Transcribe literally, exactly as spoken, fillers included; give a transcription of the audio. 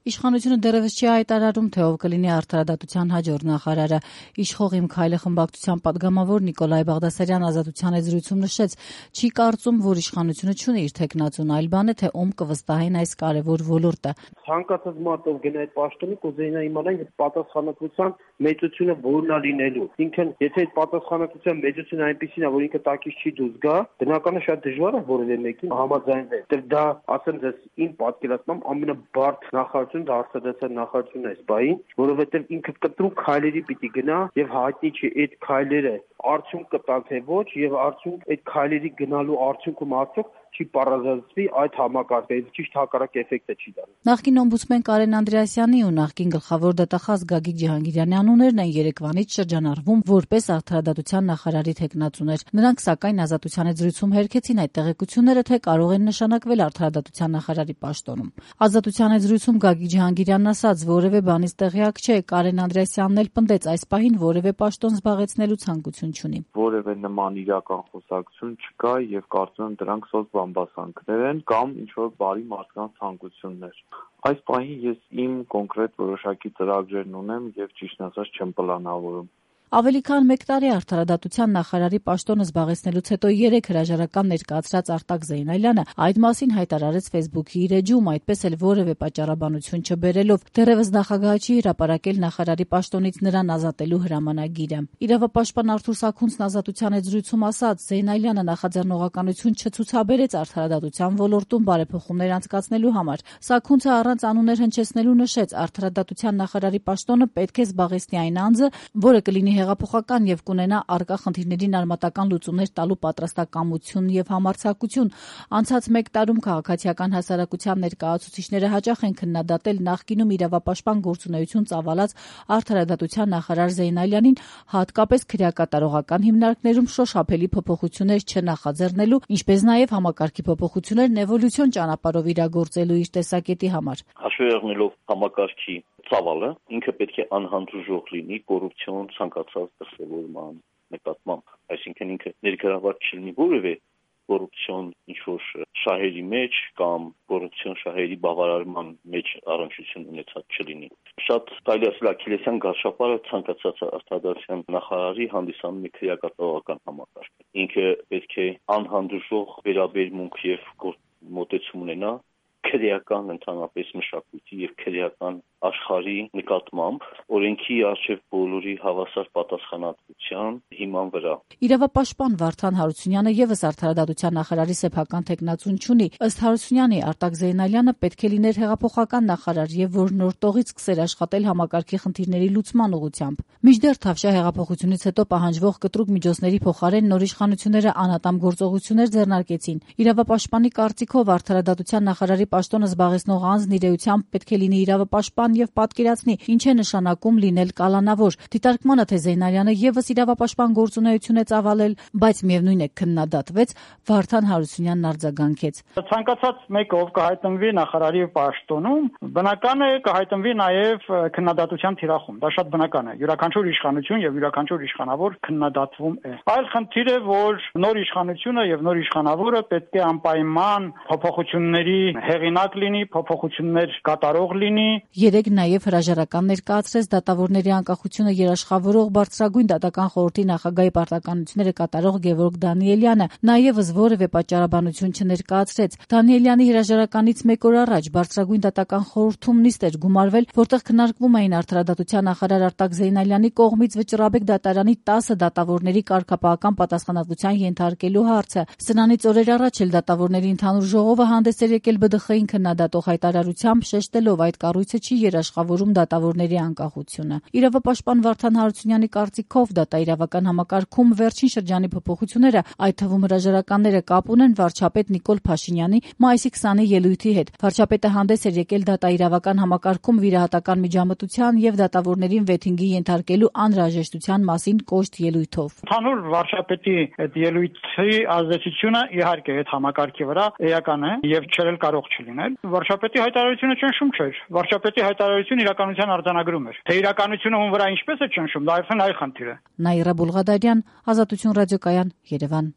Իշխանությունը դեռևս չի հայտարարում, թե ով կլինի արդարադատության հաջորդ նախարարը։ Իշխող Իմ քայլը խմբակցության պատգամավոր Նիկոլայ Բաղդասարյան Ազատության եզրույցում նշեց, չի կարծում, որ իշխանությունը չունի իր թեկնածուն, այլ բան է, թե ում կվստահեն այս կարևոր ոլորտը։ Ցանկացած մարդով գնա այդ պաշտոնի կուզենա իմանալ այդ պատասխանատվության մեծությունը որն է լինելու։ Ինքն եթե այդ պատասխանատվության մեծությունը այնպեսին է, որ ինքը տակից չի դուրս գա, բնականաբար շատ դժվար է որևէ մեկին համաձայնել։ Դեռ դա ասեմ ձեզ իմ պատկերացմամբ ամենաբարդ նախարարությունը դա արդարադատության նախարարությունն է այս բային, որովհետև ինքը կտրուկ քայլերի պիտի գնա եւ հայտնի չի այդ քայլերը արդյունք կտան թե ոչ եւ արդյունք այդ քայլերի գնալու արդյունքում արդյոք չի պարզացվի այդ համակարգը, ճիշտ հակառակ էֆեկտը չի դառնա։ Նախկին օմբուդսմեն Կարեն Անդրեասյանի ու նախկին գլխավոր դատախազ Գագիկ Ջհանգիրյանի անուններն են երեկվանից շրջանառվում որպես արդարադատության նախարարի թեկնածուներ։ Նրանք սակայն Ազատության եզրույցում հերքեցին այդ տեղեկությունները, թե կարող են նշանակվել արդարադատության նախարարի պաշտոնում։ Ազատության եզրույցում Գագիկ Ջհանգիրյանն ասաց, որևէ բանից տեղյակ չէ, Կարեն Անդրեասյանն էլ պնդեց այս պահին որևէ պաշտոն զբաղեցնելու ցանկություն չունի։ Որևէ նման իրական խոսակցություն չկա եւ կարծում եմ դրանք սոց բամբասանքներ են կամ ինչ-որ բարի մարդկանց ցանկություններ։ Այս պահին ես իմ կոնկրետ որոշակի ծրագրերն ունեմ եւ ճիշտ ասած չեմ պլանավորում։ Ավելի քան մեկ տարի արդարադատության նախարարի պաշտոնը զբաղեցնելուց հետո երեք հրաժարական ներկայացրած Արտակ Զեյնալյանը այդ մասին հայտարարեց Facebook-ի իր էջում, այդպես էլ որևէ պատճառաբանություն չբերելով, դեռևս նախագահը չի հրապարակել նախարարի պաշտոնից նրան ազատելու հրամանագիրը։ Իրավապաշտպան Արթուր Սաքունցն Ազատության եզրույցում ասաց, Զեյնալյանը նախաձեռնողականություն չցուցաբերեց արդարադատության ոլորտում բարեփոխումներ անցկացնելու համար։ Սաքունցը առանց անուններ հնչեցնելու նշեց, արդարադատության նախարարի պաշտոնը պետք է զբաղեցնի այն անձը, որը կլինի հեղափոխական եւ կունենա առկա խնդիրներին արմատական լուծումներ տալու պատրաստակամություն եւ համարձակություն։ Անցած մեկ տարում քաղաքացիական հասարակության ներկայացուցիչները հաճախ են քննադատել նախկինում իրավապաշտպան գործունեություն ծավալած արդարադատության նախարար Զեյնալյանին, հատկապես քրեակատարողական հիմնարկներում շոշափելի փոփոխություններ չնախաձեռնելու, ինչպես նաեւ համակարգի փոփոխություններն էվոլյուցիոն ճանապարհով իրագործելու իր տեսակետի համար։ Հաշվի առնելով համակարգի ծավալը, ինքը պետք է անհանդուրժող լինի կոռուպցիոն ցանկացած դրսևորման նկատմամբ, այսինքն ինքը ներգրավված չլինի որևէ կոռուպցիոն ինչ-որ շահերի մեջ կամ կոռուպցիոն շահերի բավարարման մեջ առնչություն ունեցած չլինի։ Շատ կարելի ասել աքիլեսյան գարշապարը ցանկացած արդարադատության նախարարի հանդիսանում է քրեակատարողական համակարգ։ Ինքը պետք է անհանդուրժող վերաբերմունք եւ մոտեցում ունենա քրեական ընդհանրապես մշակույթի եւ քրեական աշխարհի նկատմամբ օրենքի արժեվ բոլորի հավասար պատասխանատվության հիման վրա։ Իրավապաշտպան Վարդան Հարությունյանը եւս արդարադատության նախարարի սեփական թեկնածուն չունի։ Ըստ Հարությունյանի, Արտակ Զեյնալյանը պետք է լիներ հեղափոխական նախարար եւ որ նոր տողից սկսեր աշխատել համակարգի խնդիրների լուծման ուղղությամբ։ Մինչդեռ Թավշյա հեղափոխությունից հետո պահանջվող կտրուկ միջոցների փոխարեն նոր իշխանությունները անատամ գործողություններ ձեռնարկեցին։ Իրավապաշտպանի կարծիքով արդարադատության նախարարի պաշտոնը զբաղեցնող անձն իր էությամբ պետք է լինի իրավապաշտպան եւ պատկերացնի, ինչ է նշանակում լինել կալանավոր։ Դիտարկմանը, թե Զեյնալյանը եւս իրավապաշտպան գործունեություն է ծավալել, բայց միևնույն է քննադատվեց, Վարդան Հարությունյանն արձագանքեց։ Ցանկացած մեկը, ով կհայտնվի նախարարի պաշտոնում, բնական է կհայտնվի նաեւ քննադատության թիրախում։ Դա շատ բնական է։ Յուրաքանչյուր իշխանություն եւ յուրաքանչյուր իշխանավոր քննադատվում է։ Այլ խնդիր է, որ նոր իշխանությունը եւ նոր իշխանավորը պետք է անպայման փոփոխությունների հեղինակ լինի, փոփոխություններ կատարող լինի։ Երեք նաև հրաժարական ներկայացրեց դատավորների անկախությունը երաշխավորող բարձրագույն դատական խորհրդի նախագահի պարտականությունները կատարող Գևորգ Դանիելյանը, նաև որևէ պատճառաբանություն չներկայացրեց։ Դանիելյանի հրաժարականից մեկ օր առաջ բարձրագույն դատական խորհրդում նիստ էր գումարվել, որտեղ քննարկվում էին արդարադատության նախարար Արտակ Զեյնալյանի կողմից Վճռաբեկ դատարանի տասը դատավորների կարգապահական պատասխանատվության ենթարկելու հարցը։ Սրանից օրեր առաջ էլ դատավորների ընդհանուր ժողովը հանդես էր եկել Բ Դ Խ-ին քննադատող հայտարարությամբ, շեշտելով այդ կառույցը չի երաշխավորում դատավորների անկախությունը։ Իրավապաշտպան Վարդան Հարությունյանի կարծիքով դատաիրավական համակարգում վերջին շրջանի փոփոխությունները, այդ թվում հրաժարականները, կապ ունեն վարչապետ Նիկոլ Փաշինյանի մայիսի քսանի ելույթի հետ։ Վարչապետը հանդես էր եկել դատաիրավական համակարգում վիրահատական միջամտության եւ դատավորներին վեթինգի ենթարկելու անհրաժեշտության մասին կոշտ ելույթով։ Ընդհանուր վարչապետի այդ ելույթի ազդեցությունը իհարկե այդ համակարգի վրա էական է եւ չել կարող չլինել։ Վարչապետի հայտարարությունը ճնշում չէր։ Վարչապետի հայտարարությունը իրականության արձանագրում էր։ Թե իրականությունը ում վրա ինչպես է ճնշում, դա այլ խնդիր է։ Նաիրա Բուլղադարյան, Ազատություն ռադիոկայան, Երևան։